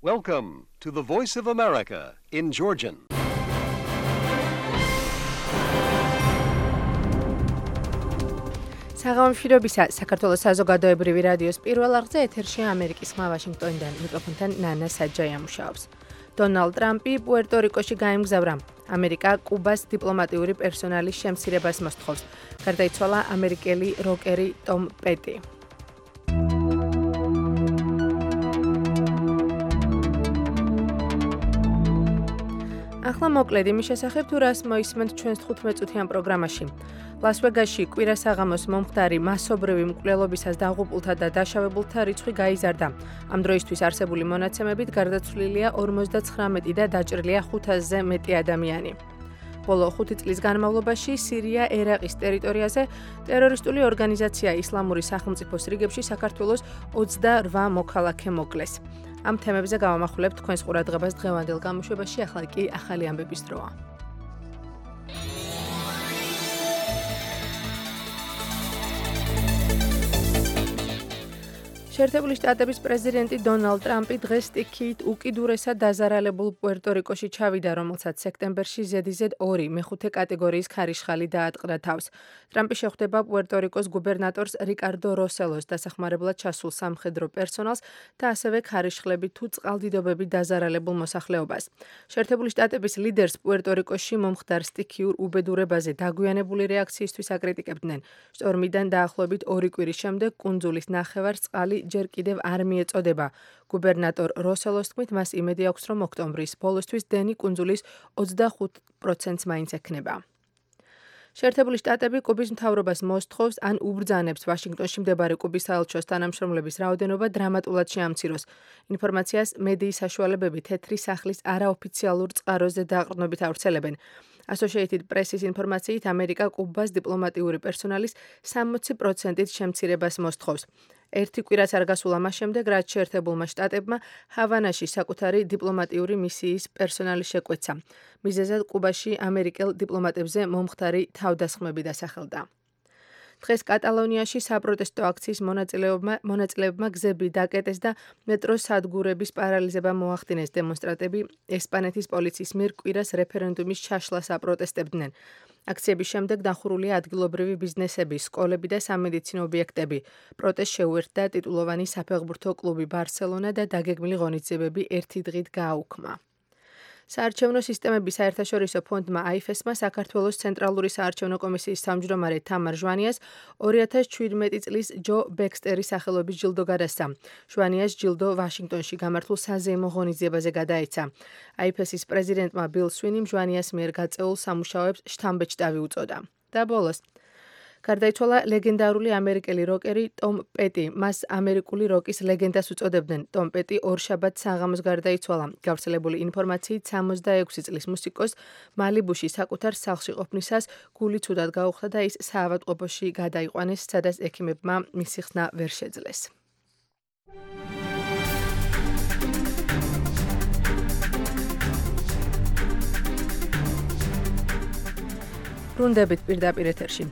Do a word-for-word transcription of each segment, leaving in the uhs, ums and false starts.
Welcome to the Voice of America in Georgian. საღამომშვიდობისა საქართველოს საზოგადოებრივი რადიოს პირველ არხზე ეთერშია ამერიკის ხმა ვაშინგტონიდან მიკროფონთან ნანა საჯაია მუშაობს. დონალდ ტრამპი პუერტო-რიკოში გაემგზავრა. ამერიკა კუბას დიპლომატიური პერსონალის შემცირებას მოსთხოვს. გარდაიცვალა ამერიკელი როკერი ტომ პეტი. ახლა მოკლედ იმის შესახებ თუ რას მოისმენთ ჩვენს თხუთმეტ წუთიან პროგრამაში. ლას-ვეგასში კვირა საღამოს მომხდარი მასობრივი მკვლელობისას დაღუპულთა და დაშავებულთა რიცხვი გაიზარდა. ამ დროისთვის არსებული მონაცემებით გარდაცვლილია ორმოცდაცხრამეტი და დაჭრილია ხუთასზე მეტი ადამიანი. ბოლო ხუთი წლის განმავლობაში სირია ერაყის ტერიტორიაზე ტერორისტული ორგანიზაცია ისლამური სახელმწიფოს რიგებში საქართველოს ოცდარვა მოქალაქე მოკლეს. ამ თემებზე გავამახვილებთ თქვენს ყურადღებას დღევანდელ გამოშვებაში, ახლა კი ახალი ამბების დროა. შეერთებული შტატების პრეზიდენტი დონალდ ტრამპი დღეს სტიქიით უკიდურესად დაზარალებულ პუერტო-რიკოში ჩავიდა, რომელსაც სექტემბერში ზედიზედ ორი მეხუთე კატეგორიის ქარიშხალი დაატყდა თავს. ტრამპი შეხვდება პუერტო-რიკოს გუბერნატორს რიკარდო როსელოს, დასახმარებლად ჩასულ სამხედრო პერსონალს და ასევე ქარიშხლებით თუ წყალდიდობებით დაზარალებულ მოსახლეობას. შეერთებული შტატების ლიდერს პუერტო-რიკოში მომხდარ სტიქიურ უბედურებაზე დაგვიანებული რეაქციისთვის აკრიტიკებდნენ. შტორმიდან დაახლოებით ორი კვირის შემდეგ კუნძულის ნახევარწყალი ჯერ კიდევ არ მიეწოდება. გუბერნატორ როსელოს თქმით, მას იმედი აქვს, რომ ოქტომბრის ბოლოსთვის დენი კუნძულის ოცდახუთ პროცენტს მაინც ექნება. შეერთებული შტატები კუბის მთავრობას მოსთხოვს ან უბრძანებს ვაშინგტონში მდებარე კუბის საელჩოს თანამშრომლების რაოდენობა დრამატულად შეამციროს. ინფორმაციას მედიის საშუალებები თეთრი სახლის არაოფიციალურ წყაროზე დაყრდნობით ავრცელებენ. Associated Press-ის ინფორმაციით, ამერიკა კუბას დიპლომატიური პერსონალის სამოცი პროცენტით შემცირებას მოსთხოვს. ერთი კვირაც არ გასულა მას შემდეგ, რაც შეერთებულმა შტატებმა ჰავანაში საკუთარი დიპლომატიური მისიის პერსონალი შეკვეცა. მიზეზად კუბაში ამერიკელ დიპლომატებზე მომხდარი თავდასხმები დასახელდა. დღეს კატალონიაში საპროტესტო აქციის მონაწილეებმა გზები დაკეტეს და მეტროს სადგურების პარალიზება მოახდინეს. დემონსტრანტები ესპანეთის პოლიციის მიერ კვირას რეფერენდუმის ჩაშლას აპროტესტებდნენ. აქციების შემდეგ დახურულია ადგილობრივი ბიზნესები, სკოლები და სამედიცინო ობიექტები. პროტესტს შეუერთდა ტიტულოვანი საფეხბურთო კლუბი ბარსელონა და დაგეგმილი ღონისძიებები ერთი დღით გააუქმა. საარჩევნო სისტემების საერთაშორისო ფონდმა აიფესმა საქართველოს ცენტრალური საარჩევნო კომისიის თავმჯდომარე თამარ ჟვანიას ორი ათას შვიდმეტი წლის ჯო ბექსტერის სახელობის ჯილდო გადასცა. ჟვანიას ჯილდო ვაშინგტონში გამართულ საზეიმო ღონისძიებაზე გადაეცა. აიფესის პრეზიდენტმა ბილ სვინიმ ჟვანიას მიერ გაწეულ სამუშაოებს შთამბეჭდავი უწოდა. და ბოლოს გარდაიცვალა ლეგენდარული ამერიკელი როკერი ტომ პეტი. მას ამერიკული როკის ლეგენდას უწოდებდნენ. ტომ პეტი ორშაბათს საღამოს გარდაიცვალა. გავრცელებული ინფორმაციით სამოცდაექვსი წლის მუსიკოს მალიბუში საკუთარ სახლში ყოფნისას გული ცუდად გაუხდა და ის საავადმყოფოში გადაიყვანეს, სადაც ექიმებმა მისი ხსნა ვერ შეძლეს. ბრუნდებით პირდაპირ ეთერში.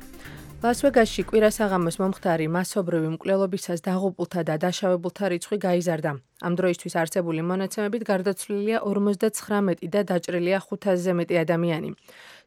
ლას-ვეგასში კვირა საღამოს მომხდარი მასობრივი მკვლელობისას დაღუპულთა და დაშავებულთა რიცხვი გაიზარდა. ამ დროისთვის არსებული მონაცემებით გარდაცვლილია ორმოცდაცხრამეტი და დაჭრილია ხუთასზე მეტი ადამიანი.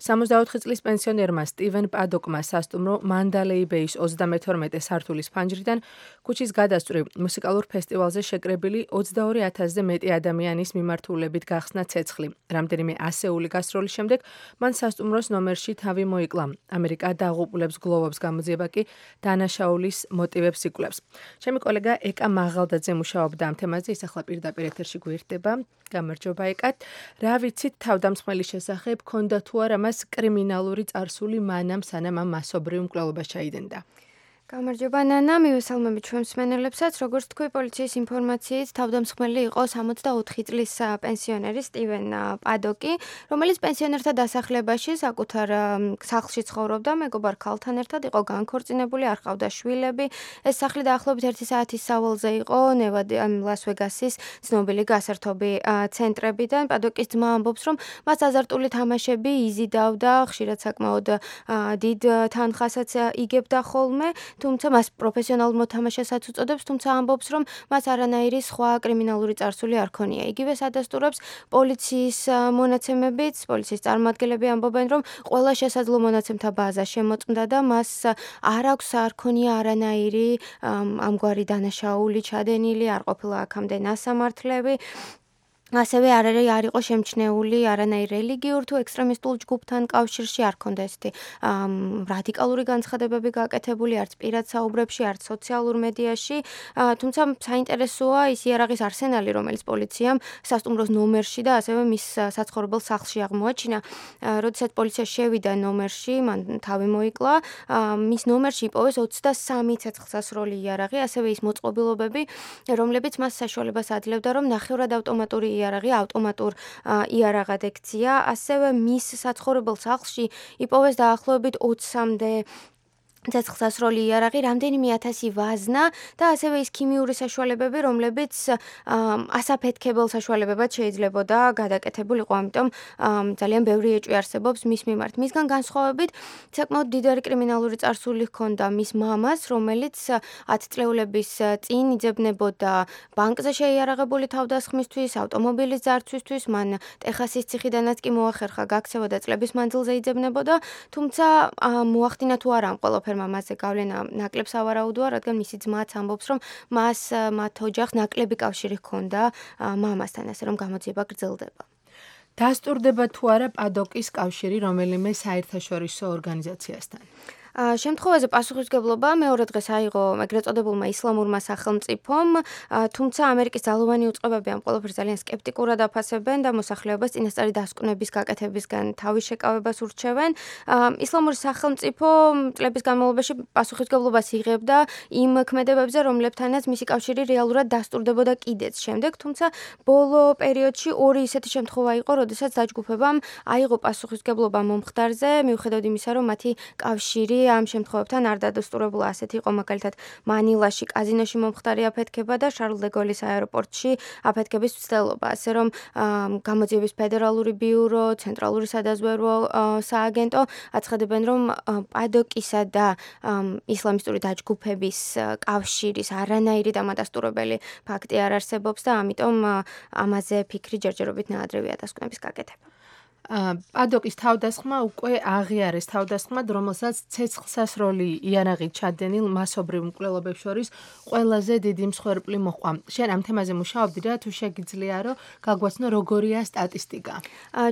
სამოცდაოთხი წლის პენსიონერმა სტივენ პადოკმა სასტუმრო მანდალეი ბეის ოცდამეთორმეტე სართულის ფანჯრიდან ქუჩის გადასწვრივ მუსიკალურ ფესტივალზე შეკრებილი ოცდაორი ათასზე მეტი ადამიანის მიმართულებით გახსნა ცეცხლი. რამდენიმე ასეული გასროლის შემდეგ მან სასტუმროს ნომერში თავი მოიკლა. ამერიკა დაღუპულებს გლოვობს გამოძიება კი დანაშაულის მოტივებს იკვლევს. ჩემი კოლეგა ეკა მაღალდაძე მუშაობდა ამ თემაზე. ის ახლა პირდაპირ ეთერში გვერდება. გამარჯობა ეკათ. რა ვიცით თავდამსხმელის შესახებ, ქონდა თუ არა მას კრიმინალური წარსული მანამ სანამ ამ მასობრივ მკვლელობას ჩაიდენდა? გამარჯობა ნანა, მივესალმებით ჩვენ მსმენელებსაც. როგორც თქვი, პოლიციის ინფორმაციით თავდამსხმელი იყო სამოცდაოთხი წლის პენსიონერი სტივენ პადოკი, რომელიც პენსიონერთა დასახლებაში საკუთარ სახლში ცხოვრობდა, მეგობარ ქალთან ერთად იყო განქორწინებული, არ ჰყავდა შვილები. ეს სახლი დაახლოებით ერთი საათის სავალზე იყო ნევადა ლას-ვეგასის ცნობილი გასართობი ცენტრებიდან. პადოკის ძმა ამბობს, რომ მას აზარტული თამაშები იზიდავდა, ხშირად საკმაოდ დიდ თანხასაც იგებდა ხოლმე. თუმცა მას პროფესიონალურ მოთამაშესაც უწოდებს, თუმცა ამბობს, რომ მას არანაირი სხვა კრიმინალური წარსული არ ქონია. იგივე ადასტურებს პოლიციის მონაცემებიც, პოლიციის წარმომადგენლები ამბობენ, რომ ყველა შესაძლო მონაცემთა ბაზა შემოწმდა და მას არ აქვს არ ქონია არანაირი ამგვარი დანაშაული ჩადენილი, არ ყოფილა აქამდე ნასამართლები. ასევე არ არ იყო შემჩნეული არანაირ რელიგიურ თუ ექსტრემისტულ ჯგუფთან კავშირში, არ ქონდა ესეთი რადიკალური განცხადებები გაკეთებული არც პირად საუბრებში, არც სოციალურ მედიაში. თუმცა საინტერესოა ის იარაღის არსენალი, რომელიც პოლიციამ სასტუმროს ნომერში და ასევე მის საცხოვრებელ სახლში აღმოაჩინა. როდესაც პოლიცია შევიდა ნომერში, მან თავი მოიკლა, მის ნომერში იპოვეს ოცდასამი ცეცხლსასროლი იარაღი, ასევე ის მოწყობილობები, რომლებიც მას საშუალებას აძლევდა, რომ ნახევრად ავტომატური იარაღი ავტომატურ იარაღად ექცია, ასევე მის საცხოვრებელ სახლში იპოვეს დაახლოებით ოცამდე ცეცხლსასროლი იარაღი, რამდენიმე ათასი ვაზნა და ასევე ის ქიმიური საშუალებები, რომლებიც ასაფეთქებელ საშუალებებად შეიძლებოდა გადაკეთებულიყო, ამიტომ ძალიან ბევრი ეჭვი არსებობს მის მიმართ. მისგან განსხვავებით, საკმაოდ დიდარი კრიმინალური წარსული ჰქონდა მის მამას, რომელიც ათწლეულების წინ იძებნებოდა ბანკზე შეიარაღებული თავდასხმისთვის, ავტომობილის ძარცვისთვის, მან ტეხასის ციხიდანაც კი მოახერხა გაქცევა და წლების მანძილზე იძებნებოდა, თუმცა მოახდინა თუ არა ამ ყველაფერს მასზე გავლენა ნაკლებს ავარაუდოა, რადგან მისი ძმაც ამბობს, რომ მას მათ ოჯახს ნაკლები კავშირი ჰქონდა მამასთან, ასე რომ გამოძიება გრძელდება. დასტურდება თუ არა პადოკის კავშირი რომელიმე საერთაშორისო ორგანიზაციასთან? შემთხვევაზე პასუხისმგებლობა მეორე დღეს აიღო ეგრეთ წოდებულმა ისლამურმა სახელმწიფომ, თუმცა ამერიკის ძალოვანი უწყებები ამ ყველაფერს ძალიან სკეპტიკურად აფასებენ და მოსახლეობას წინასწარი დასკვნების გაკეთებისგან თავის შეკავებას ურჩევენ. ისლამური სახელმწიფო წლების განმავლობაში პასუხისმგებლობას იღებდა იმ ქმედებებზე, რომლებთანაც მისი კავშირი რეალურად დასტურდებოდა კიდეც შემდეგ, თუმცა ბოლო პერიოდში ორი ისეთი შემთხვევა იყო, როდესაც დაჯგუფებამ აიღო პასუხისმგებლობა მომხდარზე, მიუხედავად იმისა, რომ მათი კავშირი ამ შემთხვევებთან არ დადასტურებულა. ასეთი იყო მაგალითად მანილაში კაზინოში მომხდარი აფეთქება და შარლ დე გოლის აეროპორტში აფეთქების მცდელობა. ასე რომ გამოძიების ფედერალური ბიურო, ცენტრალური სადაზვერვო სააგენტო აცხადებენ, რომ პადოკისა და ისლამისტური დაჯგუფების კავშირის არანაირი დამადასტურებელი ფაქტი არ არსებობს და ამიტომ ამაზე ფიქრი ჯერჯერობით ნაადრევია დასკვნების გაკეთება. პადოკის თავდასხმა უკვე აღიარეს თავდასხმად, რომელსაც ცეცხლსასროლი იარაღი ჩადენილ მასობრივ მკვლელობებს შორის ყველაზე დიდი მსხვერპლი მოჰყვა. შენ ამ თემაზე მუშაობდი რა, თუ შეგიძლია რომ გაგვაცნო როგორია სტატისტიკა?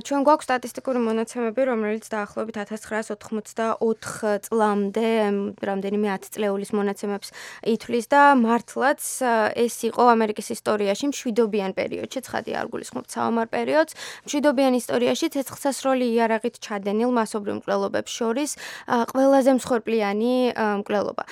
ჩვენ გვაქვს სტატისტიკური მონაცემები, რომელიც დაახლოებით ათას ცხრაას ოთხმოცდაოთხ წლამდე, რამდენიმე ათწლეულის მონაცემებს ითვლის და მართლაც ეს იყო ამერიკის ისტორიაში მშვიდობიან პერიოდში, ცხადია არ გულისხმობ საომარ პერიოდს, მშვიდობიან ისტორიაში ცეცხლსასროლი იარაღით ჩადენილ მასობრივ მკვლელობებს შორის ყველაზე მსხვერპლიანი მკვლელობა.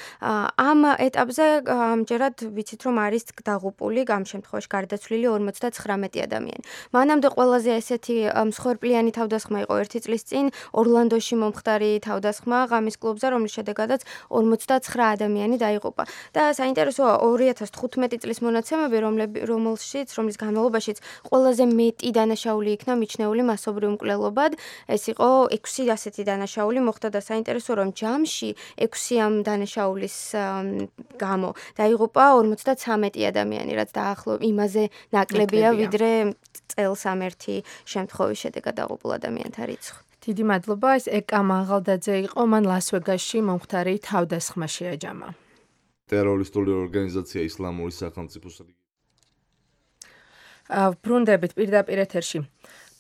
ამ ეტაპზე ამჯერად ვიცით, რომ არის დაღუპული, ამ შემთხვევაში გარდაცვლილი ორმოცდაცხრამეტი ადამიანი. მანამდე ყველაზე ესეთი მსხვერპლიანი თავდასხმა იყო ერთი წლის წინ ორლანდოში მომხდარი თავდასხმა ღამის კლუბზე, რომლის შედეგადაც ორმოცდაცხრა ადამიანი დაიღუპა. და საინტერესოა ორი ათას თხუთმეტი წლის მონაცემები, რომელშიც, რომლის განმავლობაშიც ყველაზე მეტი დანაშაული იქნა მიჩნეული მასობრივ მკვლელობად, ეს იყო ექვსი ასეთი დანაშაული მოხდა და საინტერესოა, რომ ჯამში ექვსი ამ დანაშაულის გამო დაიღუპა ორმოცდაცამეტი ადამიანი, რაც დაახლოებით იმაზე ნაკლებია, ვიდრე წელს ამ ერთი შემთხვევის შედეგად დაღუპულ ადამიანთა რიცხვი. დიდი მადლობა, ეს ეკა მაღალდაძე იყო, მან ლას-ვეგასში მომხდარი თავდასხმა შეაჯამა. ტერორისტული ორგანიზაცია ისლამური სახელმწიფოს ბრუნდებით პირდაპირ ეთერში.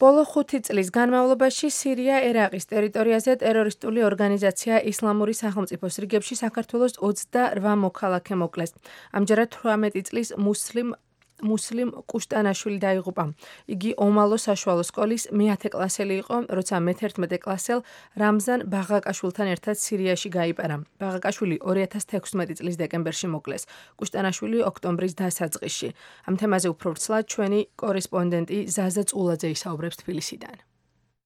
ბოლო ხუთი წლის განმავლობაში სირია-ერაყის ტერიტორიაზე ტერორისტული ორგანიზაცია ისლამური სახელმწიფოს რიგებში საქართველოს ოცდარვა მოქალაქე მოკლეს. ამჯერად თვრამეტი წლის მუსლიმ მუსლიმ კუშტანაშვილი დაიღუპა. იგი ომალო საშუალო სკოლის მეათე კლასელი იყო, როცა მეთერთმეტე კლასელ რამზან ბაღაკაშვილთან ერთად სირიაში გაიპარა. ბაღაკაშვილი ორი ათას თექვსმეტი წლის დეკემბერში მოკლეს. კუშტანაშვილი ოქტომბრის დასაწყისში. ამ თემაზე უფრო ვრცლად ჩვენი კორესპონდენტი ზაზა წულაძე ისაუბრებს თბილისიდან.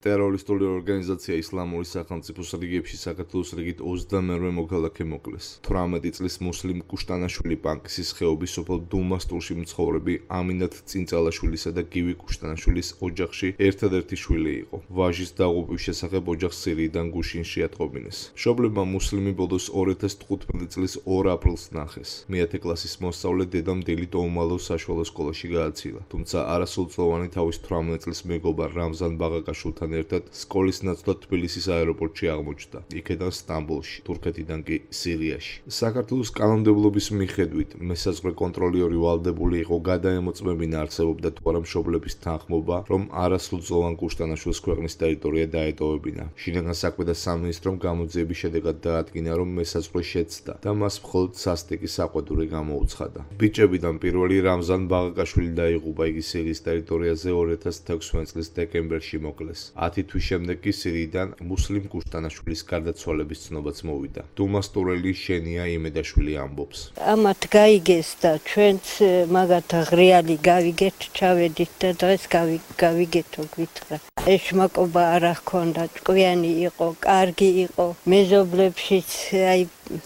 ტერორისტული ორგანიზაცია ისლამური სახელმწიფოს რიგებში საქართველოს რიგით ოცდამერვე მოქალაქე მოკლეს. თვრამეტი წლის მუსლიმ კუშტანაშვილი პანკისის ხეობის სოფელ დუმასტურში მცხოვრები ამინათ წინწალაშვილისა და გივი კუშტანაშვილის ოჯახში ერთადერთი შვილი იყო. ვაჟის დაღუპვის შესახებ ოჯახს სირიიდან გუშინში ატყობინეს. მშობლებმა მუსლიმი ბოლოს ორი ათას თხუთმეტი წლის ორ აპრილს ნახეს. მეათე კლასის მოსწავლე დედამ დილით ოუმალო საშუალო სკოლაში გააცილა. თუმცა არასრულწლოვანი თავის თვრამეტი წლის მეგობარ რამზან ბაღაკაშვილთან ერთად სკოლის ნაცვლად თბილისის აეროპორტში აღმოჩნდა, იქედან სტამბოლში, თურქეთიდან კი სირიაში. საქართველოს კანონმდებლობის მიხედვით მესაზღვრე კონტროლიორი ვალდებული იყო გადაემოწმებინა არსებობდა თუ არა მშობლების თანხმობა, რომ არასრულწლოვან კუშტანაშვილს ქვეყნის ტერიტორია დაეტოვებინა. შინაგან საქმეთა სამინისტრომ გამოძიების შედეგად დაადგინა, რომ მესაზღვრე შეცდა და მას მხოლოდ სასტიკი საყვედური გამოუცხადა. ბიჭებიდან პირველი რამზან ბაღაკაშვილი დაიღუპა, იგი სირიის ტერიტორიაზე ორი ათას თექვსმეტი წლის დეკემბერში მოკლეს. ათი თვის შემდეგ კი სირიიდან მუსლიმ კუშტანაშვილის გარდაცვალების ცნობაც მოვიდა. დუმასტურელი შენია იმედაშვილი ამბობს. ამათ გაიგეს და ჩვენც მაგათ ღრიალი გავიგეთ, ჩავედით და დღეს გავიგეთო გვითხრა. ეშმაკობა არ ჰქონდა, ჭკვიანი იყო, კარგი იყო, მეზობლებშიც აი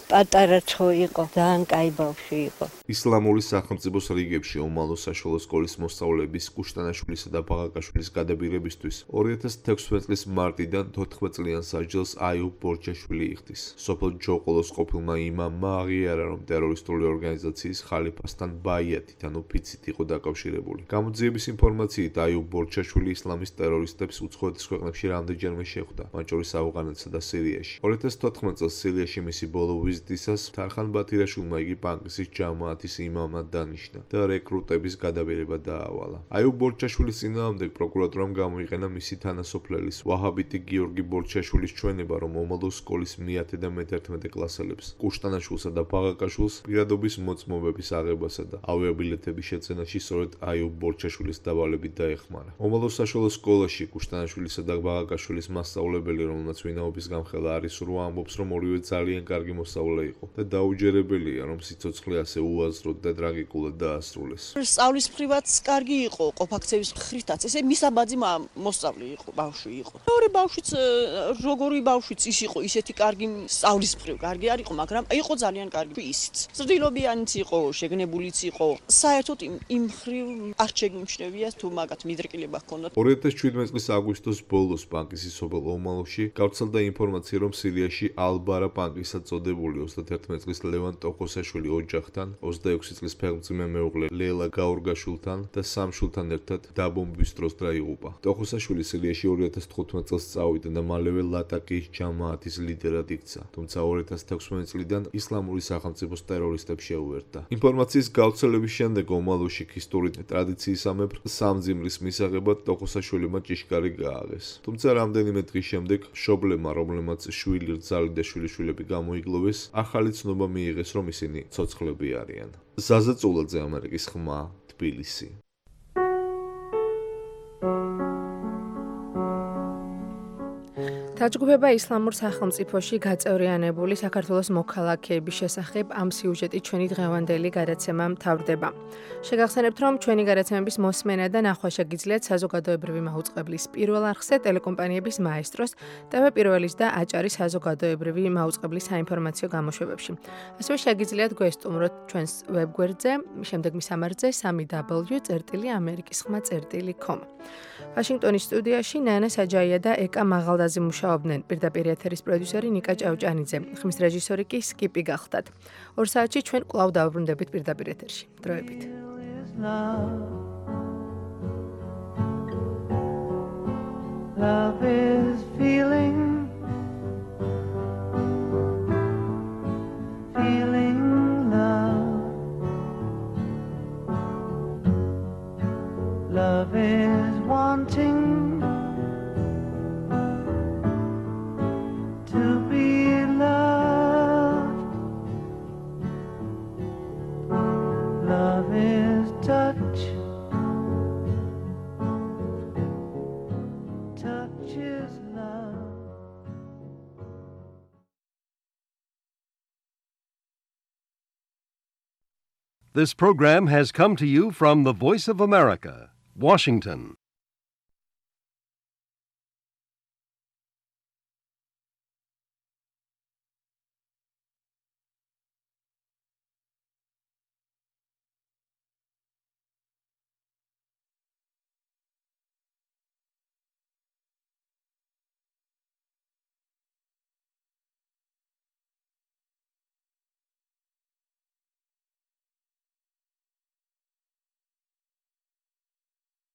პატარა ცხო იყო, ძალიან კაი ბავშვი იყო. ისლამური სახელმწიფოს რიგებში ომალო საშუალო სკოლის მოსწავლეების კუშტანაშვილისა და ბაღაკაშვილის გადაბირებისთვის ორი ათას თექვსმეტი წლის მარტიდან თოთხმეტ წლიან სასჯელს აიუბ ბორჩაშვილი იხდის. სოფელ ჯოყოლოს ყოფილმა იმამმა აღიარა, რომ ტერორისტული ორგანიზაციის ხალიფასთან ბაიათით, ანუ ფიცით იყო დაკავშირებული. გამოძიების ინფორმაციით აიუბ ბორჩაშვილი ისლამის ტერორისტებს უცხოეთის ქვეყნებში რამდენჯერმე შეხვდა, მათ შორის ავღანეთსა და სირიაში. ორი ათას თოთხმეტ წელს სირიაში მისი ბოლო ვიზიტისას თარხან ბათირაშვილმა იგი პანკისის ჯამაათის იმამად დანიშნა და რეკრუტების გადაბირება დაავალა. აიუბ ბორჩაშვილის წინააღმდეგ პროკურატურამ გამოიყენა მისი თანასოფლელის ვაჰაბიტი გიორგი ბორჩაშვილის ჩვენება, რომ ომალო სკოლის მეათე და მეთერთმეტე კლასელებს კუშტანაშვილსა და ბაღაკაშვილს პირადობის მოწმობების აღებასა და ავიაბილეთების შეძენაში სწორედ აიუბ ბორჩაშვილის დავალებით დაეხმარა. ომალო საშუალო სკოლაში კუშტანაშვილისა და ბაღაკაშვილის მასწავლებელი, რომელმაც ვინაობის გამხელა არის სრულ ამბობს, რომ ორივე ძალიან კარგი მოსწავლე იყო და დაუჯერებელია, რომ სიცოცხლე ასე უაზროდ და ტრაგიკულად დაასრულეს. სწავლის მხრივაც კარგი იყო, ყოფაქცევის მხრითაც, ესე მისაბაძი მოსწავლე იყო, ბავშვი იყო. ორი ბავშვიც, როგორი ბავშვიც ის იყო, ისეთი კარგი სწავლის მხრივ კარგი არ იყო, მაგრამ იყო ძალიან კარგი ისიც. ზრდილობიანიც იყო, შეგნებულიც იყო. საერთოდ იმ მხრივ არ შეგიმჩნევია თუ მაგათ მიდრკილება ჰქონდათ. ორი ათას შვიდმეტი წლის აგვისტოს ბოლოს პანკისის სოფელ ომალოში გავრცელდა ინფორმაცია, რომ სირიაში ალბარა პანკისად წოდებული ოცდაათი წლის ლევან ტოხოსაშვილი ოჯახთან, ოცდაექვსი წლის ფეხმძიმე მეუღლე ლელა გაურგაშვილთან და სამ შვილთან ერთად დაბომბვის დროს დაიღუპა. ტოხოსაშვილი სირიაში ორი ათას თხუთმეტ წელს წავიდა და მალევე ლატაკის ჯამაათის ლიდერად იქცა, თუმცა ორი ათას თექვსმეტი წლიდან ისლამური სახელმწიფოს ტერორისტებს შეუერთდა. ინფორმაციის გავრცელების შემდეგ ომალოში ქისტური ტრადიციისამებრ სამძიმრის მისაღებად ტოხოსაშვილმა ჭიშკარი გააღეს. თუმცა რამდენიმე დღის შემდეგ მშობლებმა, რომლებმაც შვილი რძალი და შვილიშვილები გამოიგლოვეს, ახალი ცნობა მიიღეს, რომ ისინი ცოცხლები არიან. ზაზა წულაძე, ამერიკის ხმა, თბილისი. დაჯგუფება ისლამურ სახელმწიფოში გაწევრიანებული საქართველოს მოქალაქეების შესახებ ამ სიუჟეტით ჩვენი დღევანდელი გადაცემა მთავრდება. შეგახსენებთ, რომ ჩვენი გადაცემების მოსმენა და ნახვა შეგიძლიათ საზოგადოებრივი მაუწყებლის პირველ არხზე, ტელეკომპანიების მაესტროს, ტევ პირველის და აჭარის საზოგადოებრივი მაუწყებლის საინფორმაციო გამოშვებებში. ასევე შეგიძლიათ გვესტუმროთ ჩვენს ვებგვერდზე, შემდეგ მისამართზე სამი დაბლიუ წერტილი ამერიკის ხმა წერტილი com. ვაშინგტონის სტუდიაში ნანა საჯაია და ეკა მაღალდაზი მუშაობდნენ. პირდაპირ ეთერის პროდიუსერი ნიკა ჭავჭანიძე, ხმის რეჟისორი კი სკიპი გახდათ. ორ საათში ჩვენ კვლავ დავბრუნდებით პირდაპირ ეთერში. დროებით. Love is feeling feeling love. Love is wanting to be loved. Love is touch. Touch is love. This program has come to you from the Voice of America, Washington.